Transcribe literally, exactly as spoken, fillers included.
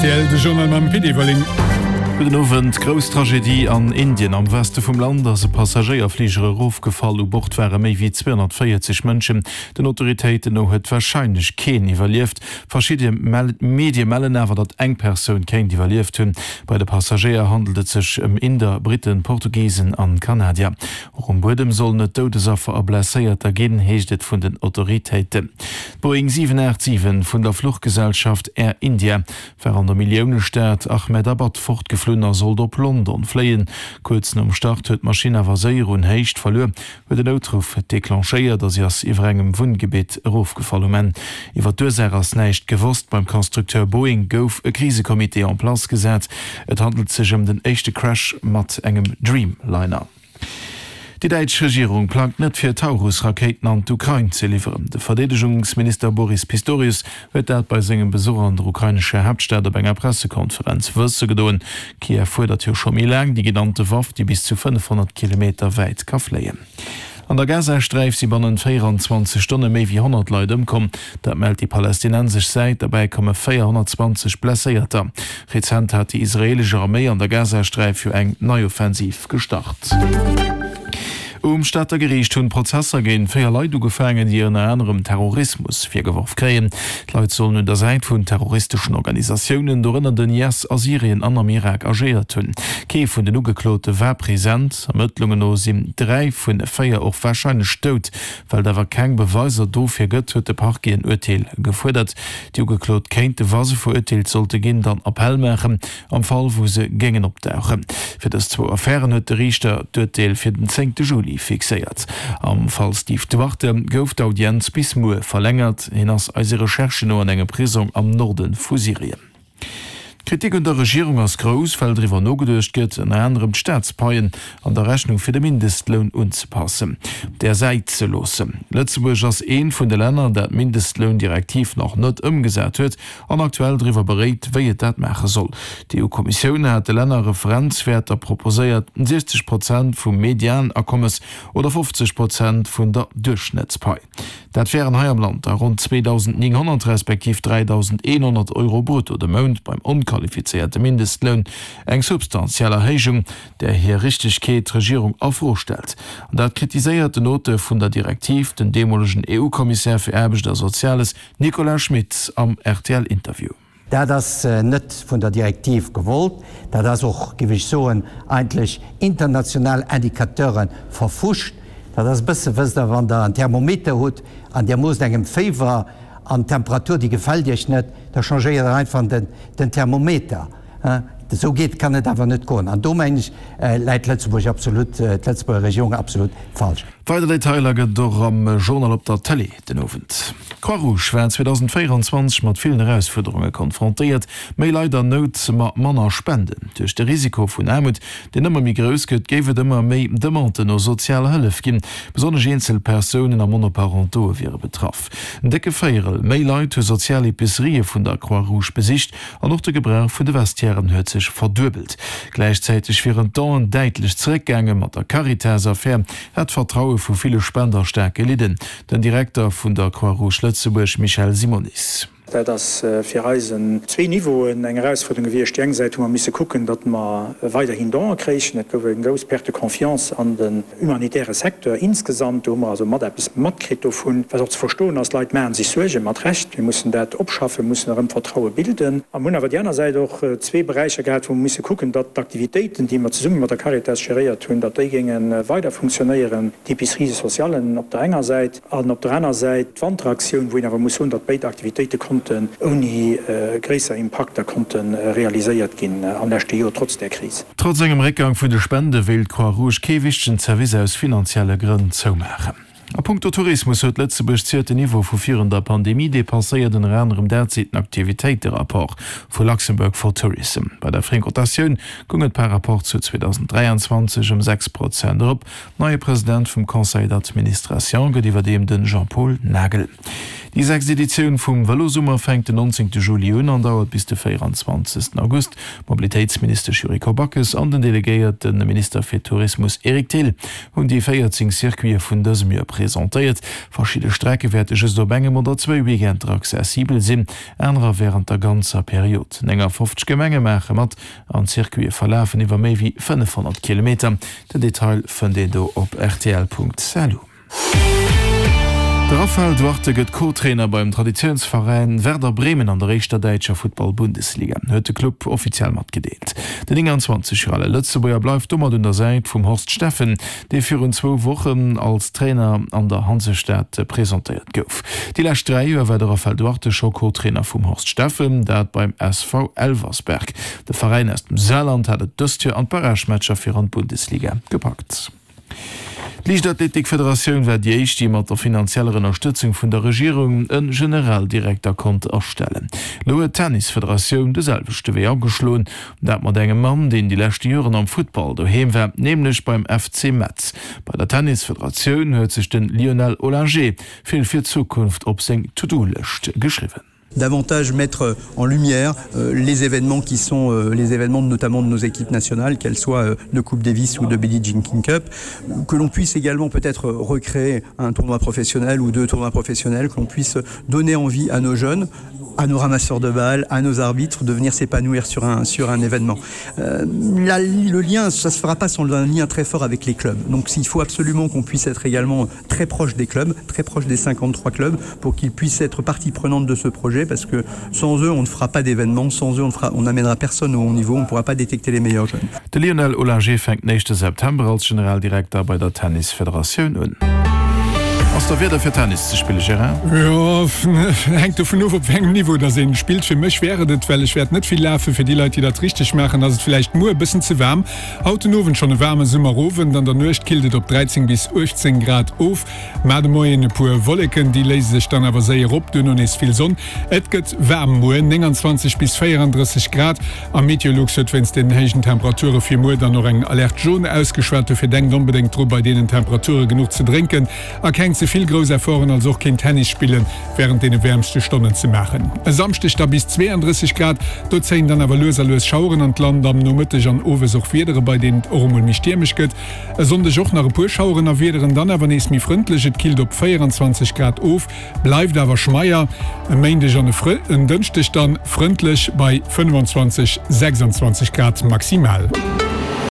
R T L, de Journal mam Pit Everling. Gudden Owend. Grouss Tragedie an Indien. Am Weste vum Land ass e Passagéierfliger erofgefall. U Bord ware méi wéi zweehonnertvéierzeg Mënschen. Den Autoritéiten no huet warscheinlech keen iwwerlieft. Verschidde Medie mellen awer, datt eng Persoun kéint iwwerlieft hunn. Bei de Passagéier handelt et sech ëm Inder, Britten, Portugisen an Kanadier. Och um Buedem sollen et Doudesaffer a Blesséierter ginn, heescht et vun den Autoritéiten. D'Boeing siwen aacht siwen vun der Fluchgesellschaft Air India war an der Milliounestad Ahmedabad fortgeflunn a sollt op London fléien. Kuerz nom Start huet d'Maschinn awer séier un Héicht verluer, huet en Noutruff declenchéiert a si ass iwwer engem Wunngebitt erofgefall. Um Enn iwwer d'Ursaach ass näischt gewosst. Beim Constructeur Boeing gouf e Krisecomité en place gesat. Et handelt sech ëm den éischte Crash mat engem Dreamliner. Déi däitsch Regierung plangt net fir Taurus-Rakéiten an d'Ukrain ze liwweren. De Verdeedegungsminister Boris Pistorius huet dat bei sengem Besuch an der ukrainescher Haaptstad op enger Pressekonferenz wësse gedoen. Kiew fuerdert jo scho méi laang déi genannte Waff, déi bis zu fënnefhonnert Kilometer wäit ka fléien. An der Gazasträif si bannent véieranzwanzeg Stonne méi wéi honnert Leit ëmkomm. Dat mellt déi palästinensesch Säit. Derbäi komme véierhonnertzwanzeg Blesséierter. Rezent hat déi israeelesch Arméi an der Gazasträif jo eng nei Offensiv gestart. Um Stater Geriicht hunn d'Prozesser géint véier Leit ugefaangen, déi ënner anerem Terrorismus virgeworf kréien. D'Leit sollen un der Säit vun terroristeschen Organisatiounen, dorënner den I S, a Syrien an am Irak agéiert hunn. Kee vun den Ugeklote war present. Ermëttlungen no sinn dräi vu véier och warscheinlech dout. Well et awer keng Beweiser dofir gëtt, huet de Parquet en Urteel gefuerdert. Déi Ugeklot kéinte, wa se verurteelt sollte ginn, dann Appell maachen, am Fall wou se géingen opdauchen. Fir dës zwou Affären huet de Riichter d'Urteel fir den zéngte Juli fixéiert. Am Fall Steve Duarte gouf d'Audienz bis muer verlängert. Hien ass eise Recherchen no an engem Prisong am Norde vu Syrien. D'Kritik un der Regierung ass grouss, well driwwer nogeduecht gëtt, ënner anerem d'Staatspaien an der Rechnung fir de Mindestloun unzepassen, op där Säit ze loossen. Lëtzebuerg ass eent vun de Länner, dat d'Mindestloundirektiv nach net ëmgesat huet an aktuell driwwer beréit, wéi et dat maache soll. D'E U-Kommissioun hat de Länner Referenzwäerter proposéiert, siechzeg Prozent vum Medianakommes oder fofzeg Prozent vun der Duerchschnëttspai. Dat wären hei am Land da ronn zweedausendnénghonnert respektiv dräidausendeenhonnert Euro brutto de Mount beim onqualifizéierte Mindestloun, eng substantiell Erhéijung, där hir Richtegkeet d'Regierung a Fro stellt. An dat kritiséiert den Auteur vun der Direktiv, den deemolegen E U-Kommissär fir Aarbecht a Soziales Nicolas Schmit am R T L-Interview. Dat ass net vun der Direktiv gewollt, dat ass och, géif ech soen, eigentlech international Indicateure verfuscht. Dat ass e bësse, wësst Der, wann Der en Thermometer hutt an Dir moosst engem Féiwer an d'Temperatur, déi gefält Iech net, da changéiert Der einfach den, den Thermometer. Esou geet, kann et awer net goen. An do, mengen ech, läit Lëtzebuerg absolut, d'Lëtzebuerger Regierung absolut falsch. Weider Detailer gëtt et och am Journal op der Tëlee den Owend. D'Croix-Rouge war zweedausendvéieranzwanzeg mat villen Erausfuerderunge konfrontéiert, méi Leit an Nout, ma manner Spenden. Duerch de Risiko vun Aarmut, deen ëmmer méi grouss gëtt, géif et ëmmer méi Demanden no sozialer Hëllef ginn. Besonnesch eenzel Persounen a Monoparentoe wiere betraff. En décke Véierel méi Leit hu sozial Epicerië vun der Croix-Rouge besicht an och de Gebrauch vun de Vestiairen huet sech verduebelt. Gläichzäiteg wieren d'Donen däitlech zeréckgaangen. Mat der Caritas-Affär hätt d'Vertraue vu ville Spender staark gelidden. Den Direkter vun der Croix-Rouge Lëtzebuerg Michel Simonis. Dat ass fir eis en zwee Niveauen eng Erausfuerderung gewiescht. Déi eng Säit hu mer misse kucken, datt mer weiderhin Donen kréichen. Et gouf eng grouss Perte de confiance an den humanitäre Secteur insgesamt. Do hu mer also mat eppes matkritt dovun, wat och ze verstoen ass. D'Leit maache sech Suergen, mat Recht. Mir mussen dat opschaffen, mussen erëm Vertraue bilden. A mir hunn awer déi aner Säit och zwee Beräicher gehat, wou mer misse kucken, datt d'Aktivitéiten, déi mer zesumme mat der Caritas geréiert hunn, datt déi géinge weider funktionéieren, d'Épiceries sociales op der enger Säit an op der aner Säit d'Wanteraktioun, wou een awer muss soen, datt béid Aktivitéite konnten ouni gréisser Impakter konnte realiséiert ginn am leschte Joer, trotz där Kris. Trotz engem Réckgang vun de Spende wéilt d'Croix-Rouge kee wichtegen Service aus finanzielle Grënn zoumaachen. A punkto Tourismus huet Lëtzebuerg ziert den Niveau vu virun der Pandemie depasséiert, ënner anerem dat seet den Aktivitéiterapport vu Luxembourg for Tourism. Bei der Frequentatioun goung et par rapport zu zweedausendräianzwanzeg ëm sechs Prozent erop. Neie President vum Conseil d'administration gëtt iwwerdeem de Jean-Paul Nagel. Déi sechst Editioun vum Vëlosummer fänkt den nonzéngte Juli un an dauert bis de véieranzwanzegsten August. D'Mobilitéitsministesch Yuriko Backes an den delegéierte Minister fir Tourismus Eric Thill hunn déi véierzéng Circuite vun dësem Joer presentéiert. Verschidde Strecke wäerte just op engem oder zwéi Weekender accessibel sinn, anerer wärend der ganzer Period. néngafofzeg Gemenge maache mat an d'Circuite verlafen iwwer méi wéi fënnefhonnert Kilometer. Den Detail fënnt een do op rtl.lu. De Raphael Duarte gëtt Co-Trainer beim Traditiounsveräin Werder Bremen an der éischter däitscher Futtball-Bundesliga, huet de Club offiziell matgedeelt. Den nénganzwanzeg Joer ale Lëtzebuerger bleift domat un der Säit vum Horst Steffen, dee virun zwou Wochen als Trainer an der Hansestad presentéiert gouf. Déi lescht dräi Joer war de Raphael Duarte scho Co-Trainer vum Horst Steffen, dat beim S V Elversberg. De Veräin aus dem Saarland hat et dëst Joer an d'Barragematcher fir an d'Bundesliga gepackt. D'Liichtathletikfederatioun war déi éischt, déi mat der finanzieller Ënnerstëtzung vun der Regierung e Generaldirekter konnt astellen. Elo huet d'Tennisfederatioun de selwechte Wee ageschloen, dat mat engem Mann, deen déi leschte Joren am Futtball doheem war, nämlech beim F C Metz. Bei der Tennisfederatioun huet sech de Lionel Ollinger vill fir d'Zukunft op seng To-Do-Lëscht geschriwwen. Davantage mettre en lumière euh, les événements qui sont euh, les événements notamment de nos équipes nationales, qu'elles soient euh, de Coupe Davis ou de Billie Jean King Cup, que l'on puisse également peut-être recréer un tournoi professionnel ou deux tournois professionnels, que l'on puisse donner envie à nos jeunes, à nos ramasseurs de balles, à nos arbitres de venir s'épanouir sur un, sur un événement. Euh, la, le lien, ça se fera pas sans un lien très fort avec les clubs. Donc il faut absolument qu'on puisse être également très proche des clubs, très proche des cinquante-trois clubs pour qu'ils puissent être partie prenante de ce projet parce que sans eux on ne fera pas d'événements, sans eux on ne fera, on n'amènera personne au haut niveau, on ne pourra pas détecter les meilleurs jeunes. De Lionel Ollinger fänkt den éischte September als Generaldirekter bei der Tennisfederatioun un. Ass da Wieder fir Tennis ze spille, Gérard? Jo, hänkt dovun of op wéi engem Niveau dass een spillt. Fir mech wär et et, well ech wäert net vill lafen. Fir déi Leit, déi dat richteg maachen, ass et villäicht muer e bëssen ze waarm. Haut den Owend schonn e waarme Summerowend, an der Nuecht killt et op dräizéng bis uechtzéng Grad of. Mar de Moien e puer Wolleken, déi léise sech dann awer séier op, duerno nees vill Sonn. Et gëtt waarm muer, nénganzwanzeg bis véierandrësseg Grad, a Meteolux huet wéinst den héijen Temperature fir muer dann och eng Alerte jaune ausgeschwat. Dofir denkt onbedéngt dru bei deenen Temperature genuch ze drénken a keng ze vill grouss Efforten, also och keen Tennis spillen, wärend deene wäermste Stonnen ze maachen. E Samschdeg da bis zweeandrësseg Grad, do zéien dann awer lues a lues Schaueren an d'Land, am Nomëtteg an owes och Wiedere, bei deenen et och emol méi stiermesch gëtt. E Sonndeg och nach e puer Schaueren a Wiederen, dann awer nees méi frëndlech, et killt op véieranzwanzeg Grad of, bleift awer schmeier. E Méindeg an en Dënschdeg dann frëndlech bei fënnefanzwanzeg, sechsanzwanzeg Grad maximal.